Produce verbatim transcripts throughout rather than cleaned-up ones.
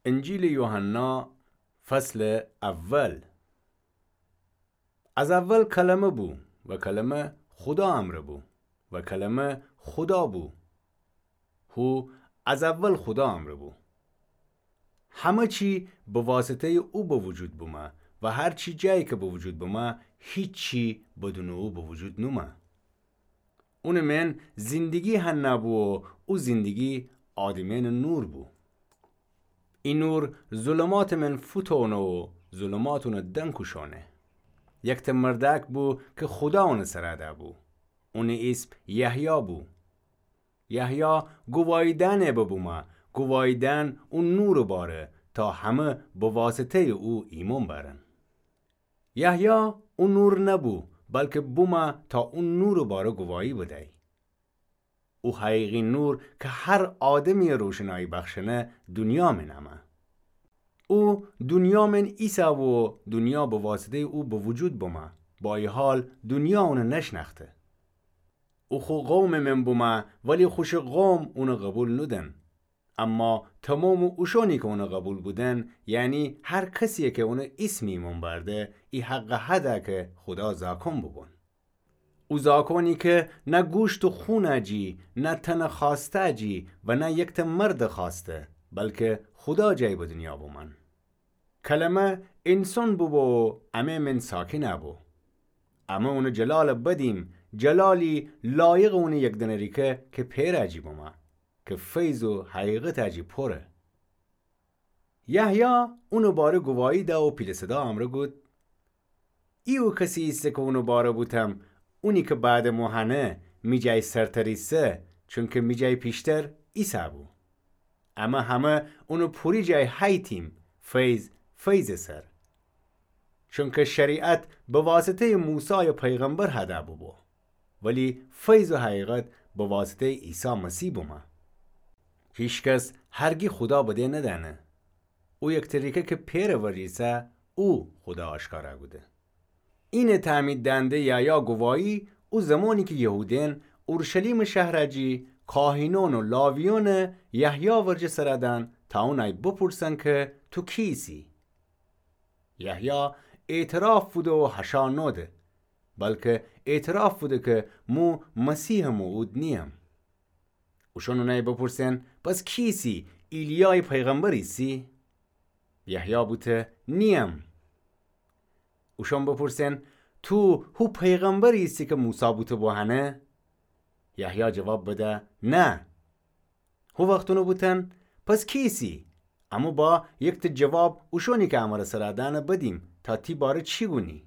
انجیلٚ یوحنا، فصلٚ اول. از اول کلمه بو و کلمه خودا امرأ بو و کلمه خودا بو. هو از اول خودا امرأ بو. همه چی به واسطه‌یٚ او به وجود بومه و هر چی جایی که به وجود بومه، هیچی بدونٚ او به وجود نومه. اونٚ مئن زندگی هنه بو و او زندگی آدمأنٚ نور بو. ای نور ظلماتٚ مئن فوتأنه و ظلمات اونٚ دنکوشأنه. یکتأ مردأک بو که خودا اونٚ سرا دأ بو. اونٚ ایسم یحیی بو. یحیی گوایی دأنه ببومه، گوایی دأن او نورٚ باره تا همه به واسطه‌یٚ او ایمأن بأرن. یحیی او نور نبو، بلکه بومه تا او نورٚ باره گوایی بدی. او حقیقی نور که هر آدمیی روشنایی بخشنه دونیا مئن امه. او دونیا مئن ایسه و دونیا به واسطه‌یٚ او به وجود بومه، با ای حال دونیا اونٚ نشنأخته. او خو قومٚ مئن بومه، ولی خوشٚ قوم اونٚ قوبیل نودن. اما تومامٚ اوشأنی که اونٚ قوبیل بودن، یعنی هر کسیی که اونٚ ایسم ایمأن بأرده، ای حق هده که خودا زاکأن بوبون. او زاکأنی که نه گوشت و خونٚ جی، نه تنٚ خوأستٚ جی و نه یکتأ مردٚ خوأسته، بلکه خودا جایی به دونیا بومأن. کلمه انسان بوبو و امه مئن ساکن بو. امه اونٚ جلال بدیم، جلالی لایقٚ اونٚ یکدنه ریکه که پئرٚ جی بومه، که فیض و حقیقتٚ جی پوره. یحیی اونٚ باره گوایی دأ و پیله صدا امرأ گود: ای او کسی ایسه که اونٚ باره بوتم، اونی که بعدٚ مو هنه، می جای سرتر ایسه، چونکه می جای پیشتر ایسه بو. امه همه اونٚ پوری جای هیتیم، فیض فیضٚ سر. چونکه شریعت به واسطه‌یٚ موسای پیغمبر هده بوبو، ولی فیض و حقیقت به واسطه‌یٚ عیسی مسیح بومه. هیکس هرگی خودا بدی ندأنه. او یکتأ ریکه که پئرٚ ورجه ایسه، او خودا آشکارا کوده. اینٚ تعمید دهنده یحیی گوایی او زمانی که یهودأن اورشلیمٚ شهرٚ جی کاهنأن و لاویأن یحیی ورجه سر دأن تا اونأی بپورسن که تو کی ایسی؟ یحیی اعتراف بوده و هشا نوده، بلکه اعتراف بوده که مو مسیحٚ موعود نییم. اوشأن اونأی بپورسن: پس کی ایسی؟ ایلیایٚ پیغمبر ایسی؟ یحیی بوته: نییم. اوشأن بپورسن: تو هو پیغمبری ایسی که موسی بوته بو هنه؟ یحیی جواب بده: نه. هو وخت اونٚ بوتن: پس کی ایسی؟ امو با یکتأ جواب اوشأنی که امر سر دأنه بدیم تا تی باره چی گونی.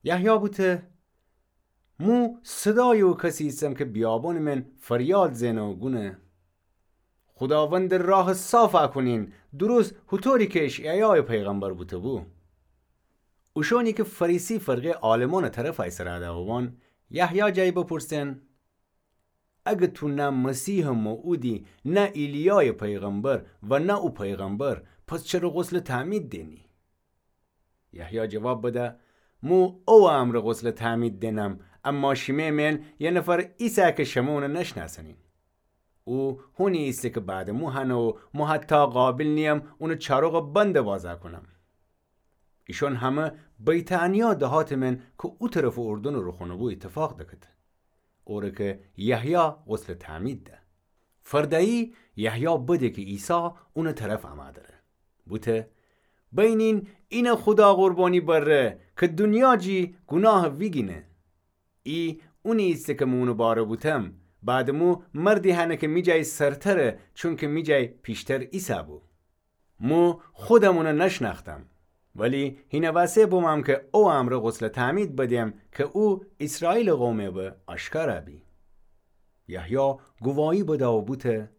یحیی بوته: مو صدایٚ او کسی ایسم که بیابونٚ مئن فریاد زئنه و گونه: خوداوندٚ راه صافا کونین، درست هوطوری که اشعیایٚ پیغمبر بوته بو. اوشأنی که فریسی فرقه‌یٚ عالمأنٚ طرفأی سر دأ بوبون، یحیی جای بپورسن: اگه تو نه مسیحٚ موعودی، نه ایلیایٚ پیغمبر و نه او پیغمبر، پس چره غسلٚ تعمید دئنی؟ یحیی جواب بده: مو اوٚ امرأ غسلٚ تعمید دئنم، اما شیمه مئن یه نفر ایسه که شمه اونٚ نشنأسنین. او هونی ایسه که بعدٚ مو هنه و مو حتی قابل نییم اونٚ چاروقٚ بندٚ وازا کونم. ایشون همه بیتانیا دهاتٚ مئن که او طرفٚ اردنٚ روخونٚ بو ایتفاق دکته، اوره که یحیی غسلٚ تعمید ده. فرده‌یی یحیی بده که عیسی اونٚ طرف امه دره. بوته: بینین، اینه خودا قربانی بره که دونیا جی گوناهٚ ویگینه. ای اونی ایسه که مو اونٚ باره بوتم، بعدٚ مو مردی هنه که می جای سرتره، چونکه می جای پیشتر ایسه بو. مو خودم اونٚ نشنأختم، ولی هینه وسه بومم که اوٚ امرأ غسلٚ تعمید بدم که او ایسرائیلٚ قومٚ به آشکارا بی. یحیی گوایی بده و بوته: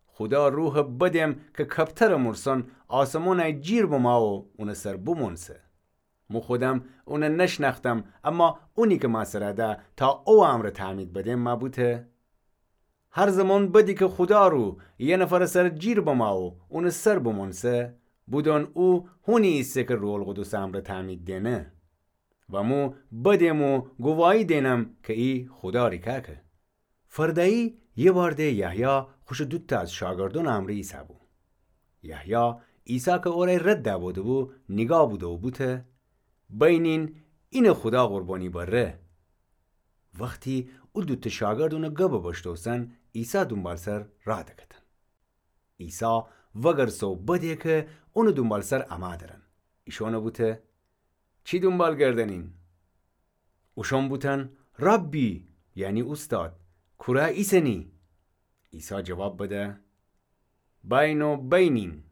خودا روحٚ بدم که کپترٚ مورسون آسمونأی جیر بما و اونٚ سر بومونسه. مو خودم اونٚ نشنأختم، اما اونی که مأ سر ده تا اوٚ امرأ تعمید بدم مأ بوته: هر زمان بدی که خودا روح یه نفرٚ سر جیر بما و اونٚ سر بومونسه، بودون او هونی ایسه که روح‌القدسٚ امرأ تعمید دئنه. و مو بدم و گوایی دئنم که ای خودا ریکاکه. فرده‌یی یه بار ده یحیی خوشٚ دوتأ از شاگردونٚ امرأ ایسه بو. یحیی عیسی کی اورأ رد دأ بوده‌بو، نیگاه بوده و بوته: بینین، اینه خودا قربانی بره. وختی او دوته شاگرد اونٚ گبٚ بشتوسن، عیسی دونبالسر رأ دکتن. عیسی وگرسه و بده کی اونٚ دونبالسر امه درن. ایشأنٚ بوته: چی دونبال گردنین؟ اوشأن بوتن: ربی، یعنی اوستاد، کورأ ایسنی؟ عیسی جواب بده: بأین و بینین.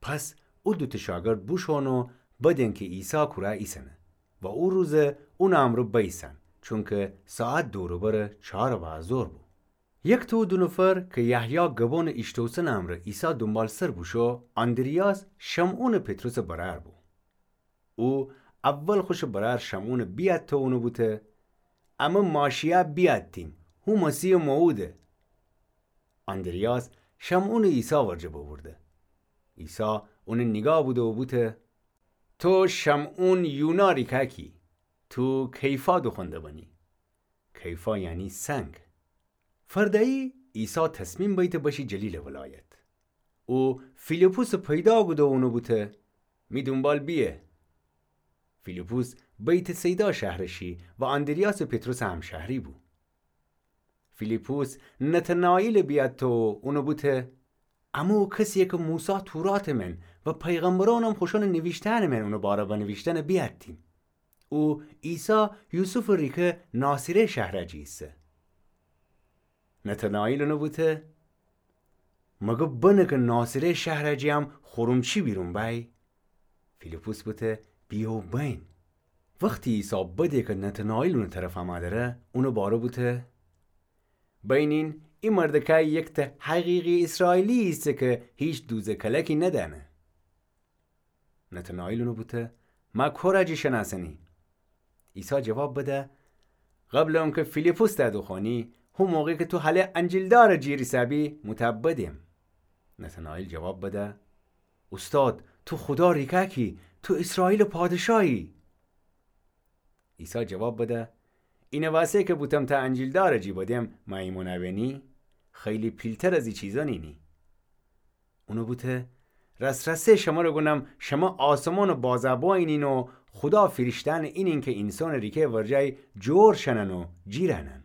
پس او دوته شاگرد بوشون و بدین کی عیسی کورأ ایسنه و او روزه اونٚ امرأ بیسن، چونکی ساعت دور و برٚ چهارٚ بعدٚ ظهر بو. یکتأ او دو نفر کی یحیی گبأنٚ ایشتوسنٚ امرأ عیسی دونبالسر بوشو، آندریاس، شمعونٚ پطرسٚ برأر بو. او اول خوشٚ برأر شمعونٚ بیأتته و اونٚ بوته: امه ماشی‌یأ بیأتتیم، هو مسیحٚ موعوده. آندریاس شمعونٚ عیسی ورجه ببرده. عیسی اونٚ نیگاه بوده و بوته: تو شمعون یونا ریکأکی، تو کیفا دوخوأنده بنی. کیفا یعنی سنگ. فرده‌یی عیسی تصمیم بیته بشه جلیلٚ ولایت. او فیلیپسٚ پیدا کوده و اونٚ بوته: می دونبال بیه. فیلیپس بیت‌صیدا شهرٚ شی و آندریاسٚ پطرسٚ همشهری بو. فیلیپس نتنائیلٚ بیأتته و اونٚ بوته: امه او کسی‌یه کی موسی توراتٚ من و پیغمبرأنم خوشأنٚ نیویشتأنٚ من اونٚ باره بنیویشتنه بیأتتیم. او عیسی یوسفٚ ریکه ناصره شهرأ جی ایسه. نتنائیل اونٚ بوته: مگه بنه کی ناصره شهرأ جی هم خورمچی بیرون بأی؟ فیلیپس بوته: بیه و بین. وختی عیسی بده کی نتنائیل اونٚ طرف امه دره، اونٚ باره بوته: بینین، ای مردکأی یکتأ حقیقی اسرائیلی ایسه کی هیچ دوزٚ کلکی ندأنه. نتنائیل اونٚ بوته: مه کورأ جی شنأسنی؟ عیسی جواب بده: قبلٚ اونکی فیلیپس تأ دوخوأنی، هو موقع کی تو هله انجیلدارٚ جیر ایسه‌بی، مو تأ بدیم. نتنائیل جواب بده: اوستاد، تو خودا ریکأکی، تو اسرائیلٚ پادشاهی. عیسی جواب بده: اینٚ وأسه کی بوتم تأ انجیلدارٚ جی بدیم، مه ایمأن اوینی؟ خیلی پیلتر از ای چیزأن اینی. اونٚ بوته: راس‌راسی شمر گونم، شمه آسمانٚ بازأ بوینین و خودا فیرشته‌یأنٚ اینین کی اینسانٚ ریکه‌یٚ ورجه جور شنن و جیر انن.